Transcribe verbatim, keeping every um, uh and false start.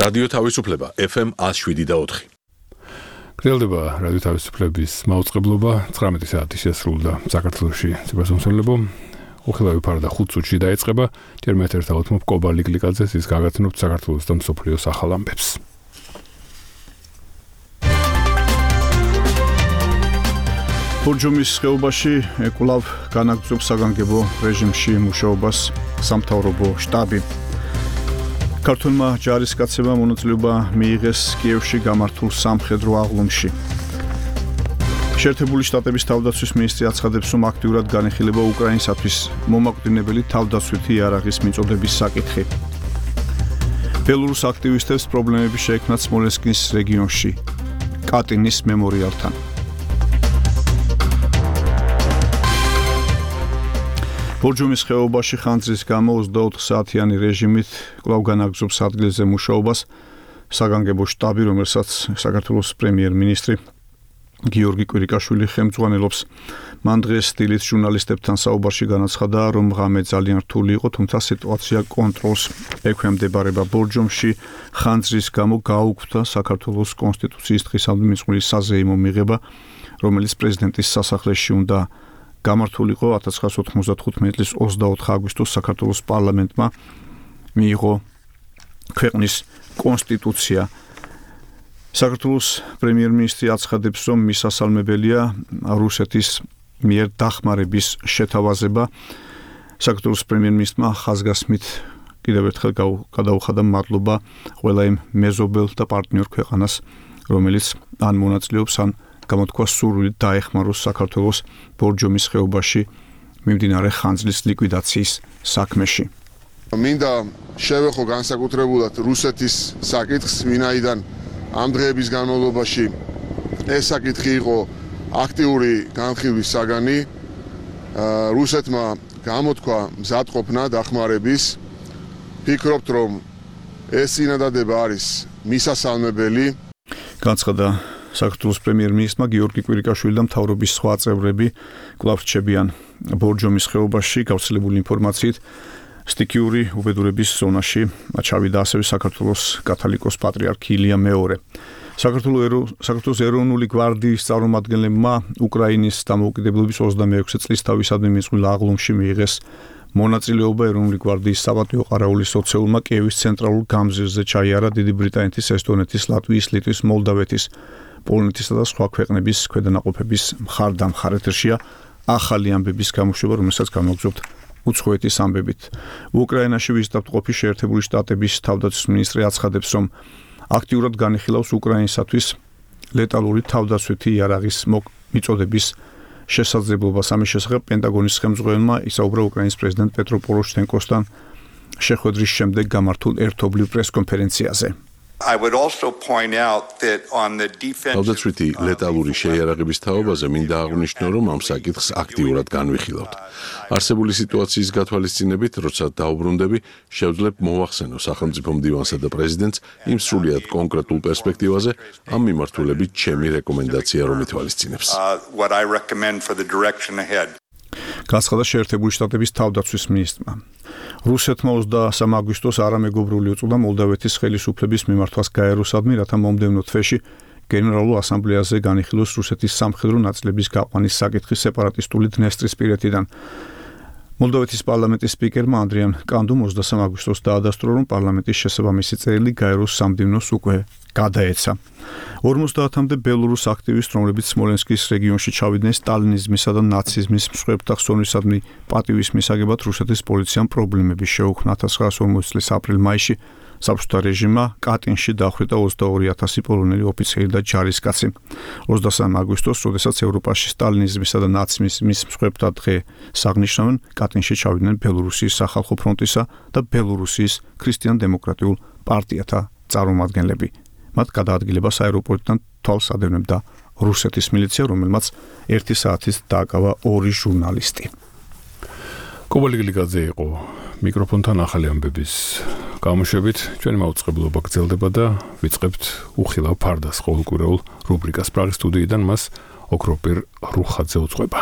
რადიო თავისუფლება ეფ ემ one oh seven point four. გრძელდება რადიო თავისუფლების მაუწყებლობა ცხრამეტი საათი შესრულდა საქართველოში ციფროსამსახურებო უხილავი ფარდა ხუთ წუთში დაიწყება ჯერ მე ერთად ავთმობ კობალი გლიკაძეს ის გაგაცნობთ საქართველოს და მსოფლიოს ახალ ამბებს. ბორჯომის ხეობაში კვლავ განაგრძობს საგანგებო რეჟიმში მუშაობას სამთავრობო შტაბი. ქართულმა ჯარისკაცებმა მონაწილეობა მიიღეს კიევში გამართულ სამხედრო აღლუმში. შეერთებული შტატების თავდაცვის მინისტრი აცხადებს, რომ აქტიურად განიხილება უკრაინისათვის მომაკვდინებელი თავდაცვითი იარაღის მიწოდების საკითხი. ბელორუს აქტივისტებს პრობლემები შეექმნათ სმოლენსკის რეგიონში კატინის მემორიალთან. ბორჯომის ხეობაში ხანძრის გამო ოცდაოთხ საათიანი რეჟიმით კვლავ განაგრძობს ადგილზე მუშაობას საგანგებო შტაბი, რომელსაც საქართველოს პრემიერ-მინისტრი გიორგი კვირიკაშვილი ხელმძღვანელობს. მან დღეს სტილით ჟურნალისტებთან საუბარში განაცხადა, რომ ღამე ძალიან რთული იყო, თუმცა სიტუაცია კონტროლს ექვემდებარება. ბორჯომში ხანძრის გამო გაუქმდა საქართველოს კონსტიტუციის დღისამდე მიწვეული საზეიმო მიღება, რომელიც პრეზიდენტის სასახლეში უნდა გამართულიყო. ათას ცხრაასი ოთხმოცდათხუთმეტი წლის ოცდაოთხ აგვისტოს საქართველოს პარლამენტმა მიიღო ქვეყნის კონსტიტუცია. საქართველოს პრემიერ-მინისტრი აცხადებს, რომ მისასალმებელია რუსეთის მიერ დახმარების შეთავაზება. საქართველოს პრემიერ-მინისტრმა ხაზგასმით კიდევ ერთხელ გადაუხადა მადლობა ყველა იმ მეზობელ და პარტნიორ ქვეყანას, რომელიც ან მონაწილეობს, ან გამოთქვა სურვილი დაეხმაროს საქართველოს ბორჯომის ხეობაში მიმდინარე ხანძრის ლიკვიდაციის საქმეში. მინდა შევეხო განსაკუთრებულად რუსეთის საკითხს, ვინაიდან ამ დღეების განმავლობაში ეს საკითხი იყო აქტიური განხილვის საგანი. რუსეთმა გამოთქვა მზადყოფნა დახმარების. ფიქრობთ, რომ ეს წინადადება არის მისასალმებელი. განცხადა საქართველოს პრემიერ-მინისტრმა გიორგი კვირიკაშვილი და მთავრობის სხვა წევრები კვლავ რჩებიან ბორჯომის ხეობაში. გავრცელებული ინფორმაციით სტიქიური უბედურების ზონაში ჩავიდა ასევე საქართველოს კათოლიკოს პატრიარქი ილია მეორე. საქართველოს ეროვნული გვარდიის წარმომადგენლებმა უკრაინის დამოუკიდებლობის ოცდამეექვსე წლის თავისადმი მიწველ აღლუმში მიიღეს მონაწილეობა. ეროვნული გვარდიის საპატიო ყარაულის ოცეულმა კიევის ცენტრალურ გამზირზე ჩაიარა დიდი ბრიტანეთის, ესტონეთის, ლატვიის, ლიტვის, მოლდავეთის, პოლონეთისა და სხვა ქვეყნების ქვედანაყოფების მხარდამხარ. ეთერშია ახალი ამბების გამოშვება, რომელსაც განვაგრძობთ უცხოეთის ამბებით. უკრაინაში ვიზიტავტყოფი შეერთებული შტატების თავდაცვის მინისტრი აცხადებს, რომ აქტიურად განიხილავს უკრაინისათვის ლეტალური თავდაცვითი იარაღის მიწოდების შესაძლებლობას. ამის შესახებ პენტაგონის ხელმძღვანელმა ისაუბრა უკრაინის პრეზიდენტ პეტრო პოროშჩენკოსთან შეხვედრის შემდეგ გამართულ ერთობლივ პრესკონფერენციაზე. I would also point out that on the defense თავდაცვითი ლეტალური შეიარაღების თაობაზე მინდა აღვნიშნო, რომ ამ საკითხს აქტიურად განვიხილავთ. არსებული სიტუაციის გათვალისწინებით, როცა დაუბრუნდები, შევძლებ მოვახსენო სახელმწიფო მდივანსა და პრეზიდენტს იმ სრულიად კონკრეტულ პერსპექტივაზე, ამ მიმართულებით ჩემი რეკომენდაცია რომ ითვალისწინებს. what I recommend for the direction ahead. განცხადა შეერთებული შტატების თავდაცვის მინისტრმა. რუსეთმა ოცდასამი აგვისტოს არამეგობრული უწოდა მოლდავეთის ხელისუფლების მიმართვას გაეროსადმი, რათა მომდევნო თვეში გენერალურ ასამბლეაზე განიხილოს რუსეთის სამხედრო ნაწილების გაყვანის საკითხი სეპარატისტული დნესტრისპირეთიდან. მოლდავეთის პარლამენტის სპიკერმა ანდრიან კანდუმ ოცდასამი აგვისტოს დაადასტურა, რომ პარლამენტის შესაბამისი წერილი გაეროს სამდივნოს უკვე გადაეცა. ორმოცდაათამდე ბელორუს აქტივისტ, რომლებიც სმოლენსკის რეგიონში ჩავიდნენ სტალინიზმისა და ნაციზმის მსხვერპლთა ხსოვნისადმი პატივის მისაღებად, რუსეთის პოლიციამ პრობლემები შეუქმნა. ათას ცხრაასი ორმოცი წლის აპრილ-მაისში საბჭოთა რეჟიმმა კატინში დახვრიტა ოცდაორი ათასი პოლონელი ოფიცერი და ჯარისკაცი. ოცდასამი აგვისტოს, როდესაც ევროპაში სტალინიზმისა და ნაციზმის მსხვერპლთა დღე საღნიშნავენ, კატინში ჩავიდნენ ბელორუსიის სახალხო ფრონტისა და ბელორუსიის ქრისტიან-დემოკრატიულ პარტიათა წარმომადგენლები. მათ გადაადგილებას აეროპორტიდან თვალს ადევნებდა რუსეთის მილიცია, რომელმაც ერთი საათით დააკავა ორი ჟურნალისტი. კობალი გლიკაძე იყო მიკროფონთან ახალი ამბების გამოშვებით. ჩვენი მაუწყებლობა გრძელდება და ვიწყებთ უხილავ ფარდას ყოველკვირეულ რუბრიკას პრაღის სტუდიიდან. მას ოქროპირ რუხაძე უძღვება.